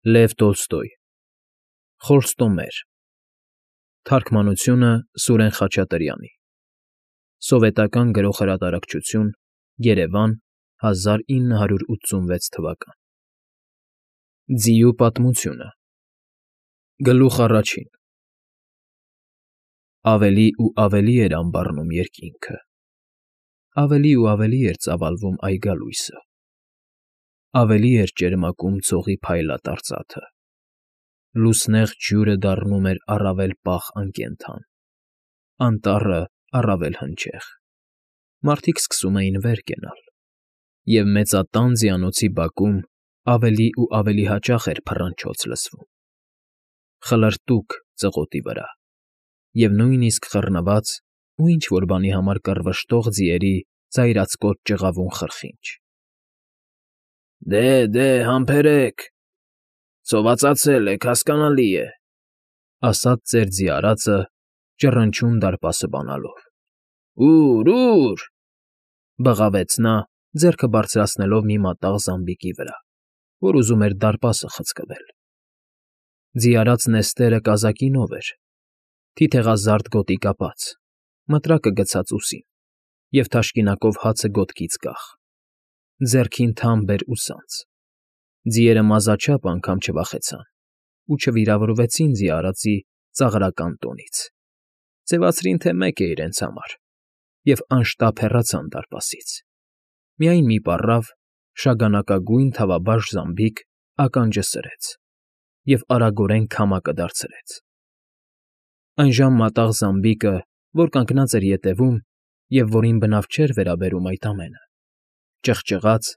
Լև Տոլստոյ Խոստումներ Թարգմանությունը Սուրեն Խաչատրյանի Սովետական գրող֊հրատարակչություն Երևան 1986 թվական Ձիու պատմությունը Գլուխ առաջին Ավելի ու ավելի էր անբառնում երկինքը, ավելի ու ավելի էր ծավալվում այգալույսը, ավելի էր ճերմակում ցողի փայլատառծաթը, լուսնեղ ջուրը դառնում էր առավել պաղ անկենդան, անտառը առավել հնչեղ, մարդիկ սկսում էին վեր կենալ, և մեծատան ձիանոցի բակում ավելի ու ավելի հաճախ էր փռնչոց լսվում, խլրտուք ծղոտի վրա, և նույնիսկ խռնված ու ինչ֊որ բանի համար կռվշտող ձիերի ծայրածկոտ ճղավուն խրխինջ։ Դե, համբերեք, ցովացածել եք, հասկանալի է, ասաց ծեր ձի արածը, ճռնչուն դարպասը բանալով։ Ո՞ւր, բղավեց նա, ձեռքը բարձրացնելով մի մատաղ զամբիկի վրա, որ ուզում էր դարպասը խցկվել։ Ձի արած Նեստերը կազակինով էր, թիթեղազարդ գոտի կապած, մտրակը գցած ուսին և թաշկինակով հացը գոտքից կախ, ձեռքին թամբ էր ու սանձ։ Ձիերը մազաչափ անգամ չվախեցան ու չվիրավորվեցին ձի արածի ծաղրական տոնից, ձևացրին, թե մեկ է իրենց համար, և անշտապ հեռացան դարպասից։ Միայն մի պառավ, շագանակագույն թավաբաշ զամբիկ ականջը սրեց և արագորեն քամակը դարձրեց։ Այնժամ մատաղ զամբիկը, որ կանգնած էր ետևում և որին բնավ չէր վերաբերում այդ ամենը, ճղճղաց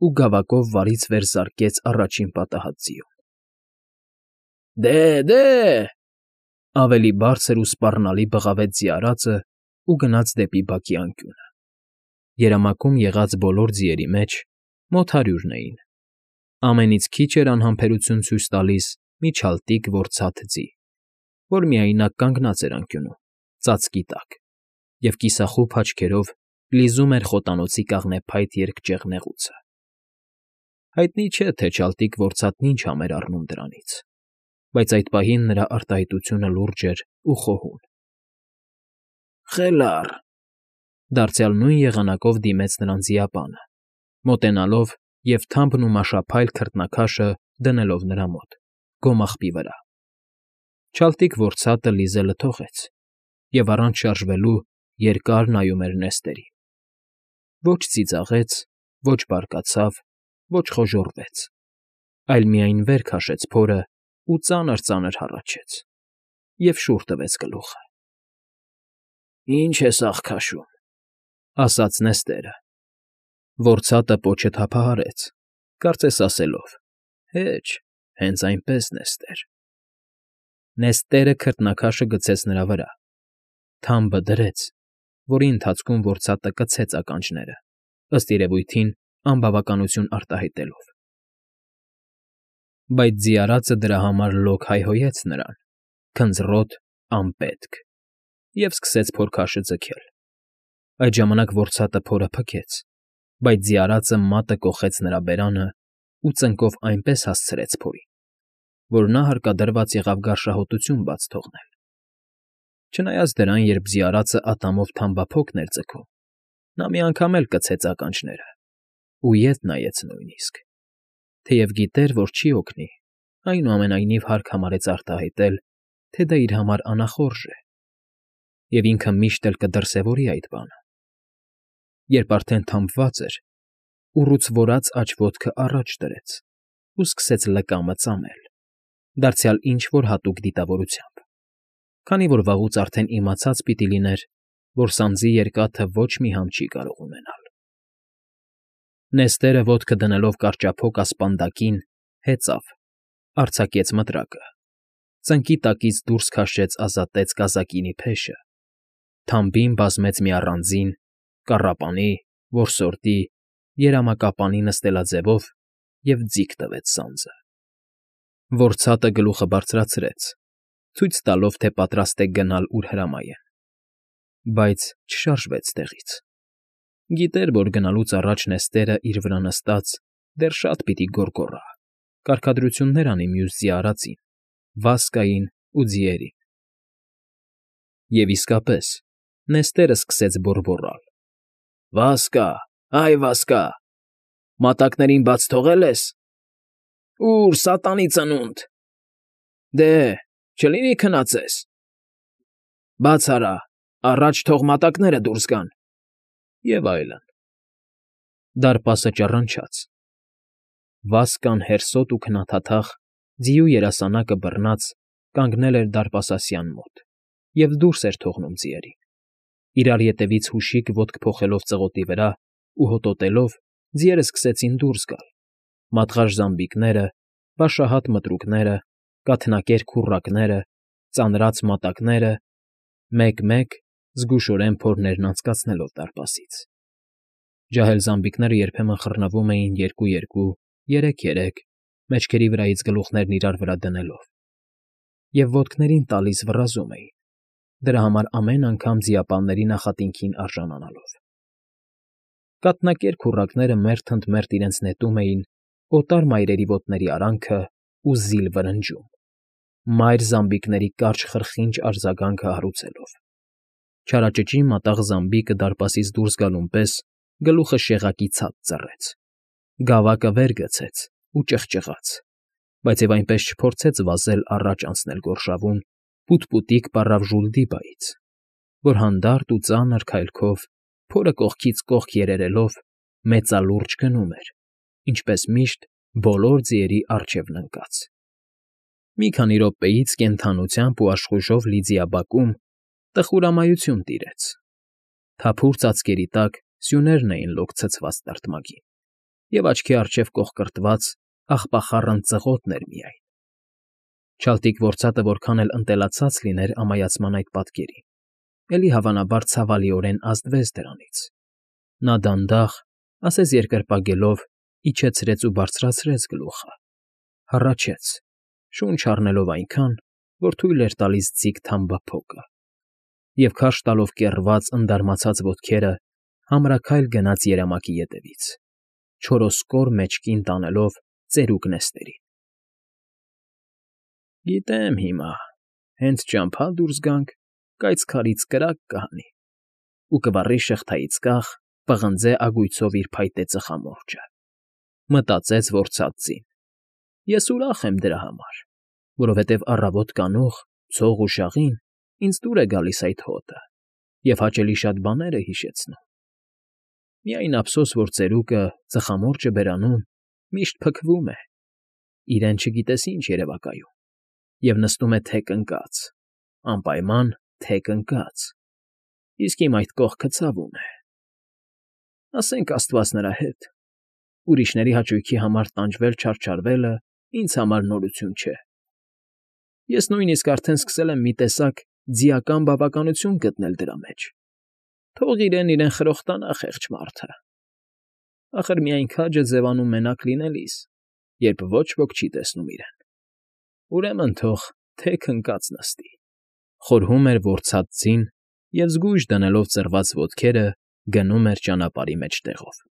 ու գավակով վարից վեր զարկեց առաջին պատահած ձիուն։ Դե, ավելի բարձր ու սպառնալի բղավեց ձի արածը ու գնաց դեպի բակի անկյունը։ Երամակում եղած բոլոր ձիերի մեջ մոտ 100-ն էին։ Ամենից քիչ էր անհամբերություն ցույց տալիս մի չալտիկ որցաթ ձի, որ միայնակ կանգնած էր անկյունում, ծածկի տակ, և կիսախուբ աչքերով լիզում էր խոտանոցի կաղնեփայտ երկճյուղ նեղուցը։ Հայտնի չէ, թե չալտիկ որցաթն ինչ համ էր առնում դրանից, բայց այդ պահին նրա արտահայտությունը լուրջ էր ու խոհուն։ Խելառ, դարձյալ նույն եղանակով դիմեց նրան ձիապանը, մոտենալով և թամբն ու մաշափայլ քրտնաքաշը դնելով նրա մոտ, գոմաղբի վրա։ Չալտիկ որցատը լիզելը թողեց և առանց շարժվելու երկար նայում էր Նեստերին։ Ոչ ծիծաղեց, ոչ բարկացավ, ոչ խոժոռվեց, այլ միայն վեր քաշեց փորը ու ծանր֊ծանր հառաչեց և շուռ տվեց գլուխը։ Ինչ ես աղքաշում, ասաց Նեստերը։ Որցատը պոչը թափահարեց, կարծես ասելով. Հեչ, հենց այնպես, Նեստեր։ Նեստերը քրտնաքաշը գցեց նրա վրա, թամբը դրեց, որի ընթացքում որցատը կցեց ականջները, ըստ երևույթին անբավականություն արտահայտելով։ Բայց ձի արածը դրա համար լոկ հայհոյեց նրան, քնձռոտ, անպետք, և սկսեց փորքաշը ձգել։ Այդ ժամանակ որցատը փորը փքեց, բայց ձի արածը մատը կոխեց նրա բերանը ու ծնկով այնպես հասցրեց փորին, որ նա հարկադրված եղավ գարշահոտություն բաց թողնել։ Չնայած դրան, երբ ձի արածը ատամով թամբափոկն էր ձգում, նա մի անգամ էլ կցեց ականջները ու ետ նայեց նույնիսկ, թեև գիտեր, որ չի օգնի, այնուամենայնիվ հարկ համարեց արտահայտել, թե դա իր համար անախորժ է, և ինքը միշտ էլ կդրսևորի այդ բանը։ Երբ արդեն թամբված էր, ուռուց որած աջ ոտքը առաջ դրեց ու սկսեց լկամը ծամել, դարձյալ ինչ֊որ հատուկ դիտավորությամբ, քանի որ վաղուց արդեն իմացած պիտի լիներ, որ սանձի երկաթը ոչ մի համ չի կարող ունենալ։ Նեստերը ոտքը դնելով կարճափոկ ասպանդակին, հեծավ, արձակեց մտրակը, ծնկի տակից դուրս քաշեց ազատեց կազակինի փեշը, թամբին բազմեց մի առանձին, կառապանի, որսորդի, երամակապանի նստելաձևով և ձիգ տվեց սանձը։ Որցատը գլուխը բարձրացրեց, ցույց տալով, թե պատրաստ է գնալ, ուր հրամայեն, բայց չշարժվեց տեղից։ Գիտեր, որ գնալուց առաջ Նեստերը իր վրա նստած դեռ շատ պիտի գոռգոռա, կարգադրություններ անի մյուս ձիի արածին՝ Վասկային ու ձիերին։ Եվ իսկապես, Նեստերը սկսեց բոռբոռալ. «Վասկա, այ Վասկա, մատակներին բաց թողե՞լ ես։ Ո՞ւր, սատանի ծնունդ։ Դե, չլինի քնածես։ Բաց արա, առաջ թող մատակները դուրս գան»։ Եվ այլն։ Դարպասը ճառնչաց։ Վասկան հերսոտ ու քնաթաթախ, ձիու երասանակը բռնած, կանգնել էր դարպասասյան մոտ և դուրս էր թողնում ձիերին, իրար ետևից հուշիկ ոտք փոխելով ծղոտի վրա ու հոտոտելով, ձիերը սկսեցին դուրս գալ, մատղաշ զամբիկները, բաշահատ մտրուկները, կաթնակեր քուռակները, ծանրած մատակները, մեկ֊մեկ, զգուշորեն փորներն անցկացնելով դարպասից։ Ջահել զամբիկները երբեմն խռնվում էին երկու֊երկու, երեք֊երեք, մեջքերի վրայից գլուխներն իրար վրա դնելով, և ոտքներին տալիս վռազում էին, դրա համար ամեն անգամ ձիապանների նախատինքին արժանանալով։ Կաթնակեր քուռակները մերթ ընդ մերթ իրենց նետում էին օտար մայրերի ոտների արանքը ու զիլ վրնջում, մայր զամբիկների կարճ խրխինջ արձագանքը հարուցելով։ Չարաճճի մատաղ զամբիկը դարպասից դուրս գալուն պես գլուխը շեղակի ցած ծռեց, գավակը վեր գցեց ու ճղճղաց, բայց և այնպես չփորձեց վազել առաջ անցնել գորշավուն, պուտպուտիկ պառավ Ժուլդիբայից, որ հանդարտ ու ծանր քայլքով, փորը կողքից կողք երերելով, մեծալուրջ գնում էր, ինչպես միշտ բոլոր ձիերի առջևն ընկած։ Մի քանի րոպեից կենդանությամբ ու աշխույժով լի ձիաբակում տխուրամայություն տիրեց։ Թափուր ծածկերի տակ սյուներն էին լոկ ցցված տրտմագին, և աչքի առջև կոխկրտված աղբախառն ծղոտն էր միայն։ Չալտիկ ործատը որքան էլ ընտելացած լիներ ամայացման այդ պատկերին, էլի հավանաբար ցավալիորեն ազդվեց դրանից։ Նա դանդաղ, ասես երկրպագելով, իջեցրեց ու բարձրացրեց գլուխը, հառաչեց, շունչ առնելով այնքան, որ թույլ էր տալիս ձիգ թամբափոկը, և քարշ տալով կեռված, ընդարմացած ոտքերը համրաքայլ գնաց երամակի ետևից, չորոսկոր մեջքին տանելով ծերուկ Նեստերին։ «Գիտեմ հիմա, հենց ճամփա դուրս գանք, կայծ քարից կրակ կհանի, ու կվառի շղթայից կախ, պղնձե ագույցով իր փայտե ծխամորճը», մտածեց որցած ձին։ «Ես ուրախ եմ դրա համար, որովհետև առավոտ կանուխ, ցող ու շաղին ինձ դուր է գալիս այդ հոտը և հաճելի շատ բաներ է հիշեցնում։ Միայն ափսոս, որ ծերուկը, ծխամորճը բերանում, միշտ փքվում է, իրեն չգիտես ինչ երևակայում, և նստում է թեք ընկած, անպայման թեք ընկած, իսկ իմ այդ կողքը ցավում է։ Ասենք աստված նրա հետ, ուրիշների հաճույքի համար տանջվել֊չարչարվելը ինձ համար նորություն չէ։ Ես նույնիսկ արդեն սկսել եմ մի տեսակ ձիական բավականություն գտնել դրա մեջ։ Թող իրեն խրոխտանա խեղճ մարդը։ Ախր միայն քաջը ձևանում մենակ լինելիս, երբ ոչ ոք չի տեսնում իրեն։ Ուրեմն թող թեք ընկած նստի», խորհում էր որցած ձին և զգույշ դնելով ծռված ոտքերը գնում էր ճանապարհի մեջտեղով։